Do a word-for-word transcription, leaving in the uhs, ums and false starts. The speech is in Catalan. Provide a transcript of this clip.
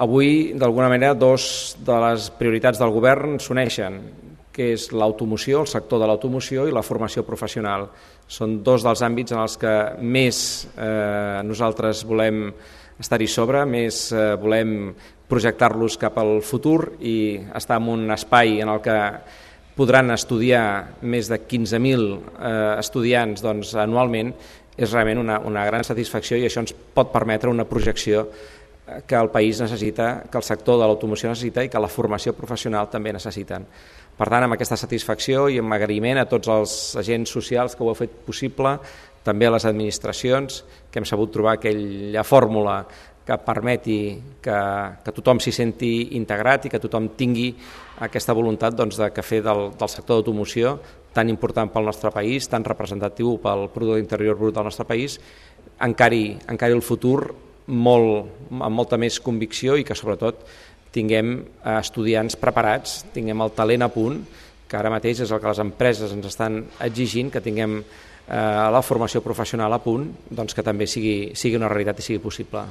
Avui, d'alguna manera, dos de les prioritats del govern s'uneixen, que és l'automoció, el sector de l'automoció i la formació professional. Són dos dels àmbits en els que més eh, nosaltres volem estar-hi sobre, més eh, volem projectar-los cap al futur i estar en un espai en el que podran estudiar més de quinze mil eh, estudiants doncs, anualment. És realment una, una gran satisfacció i això ens pot permetre una projecció que el país necessita, que el sector de l'automoció necessita i que la formació professional també necessiten. Per tant, amb aquesta satisfacció i amb agraïment a tots els agents socials que ho heu fet possible, també a les administracions, que hem sabut trobar aquella fórmula que permeti que, que tothom s'hi senti integrat i que tothom tingui aquesta voluntat doncs, de que fer del, del sector d'automoció tan important pel nostre país, tan representatiu pel producte interior brut del nostre país, encari, encari el futur molt, amb molta més convicció i que sobretot tinguem estudiants preparats, tinguem el talent a punt, que ara mateix és el que les empreses ens estan exigint, que tinguem eh, la formació professional a punt, doncs que també sigui, sigui una realitat i sigui possible.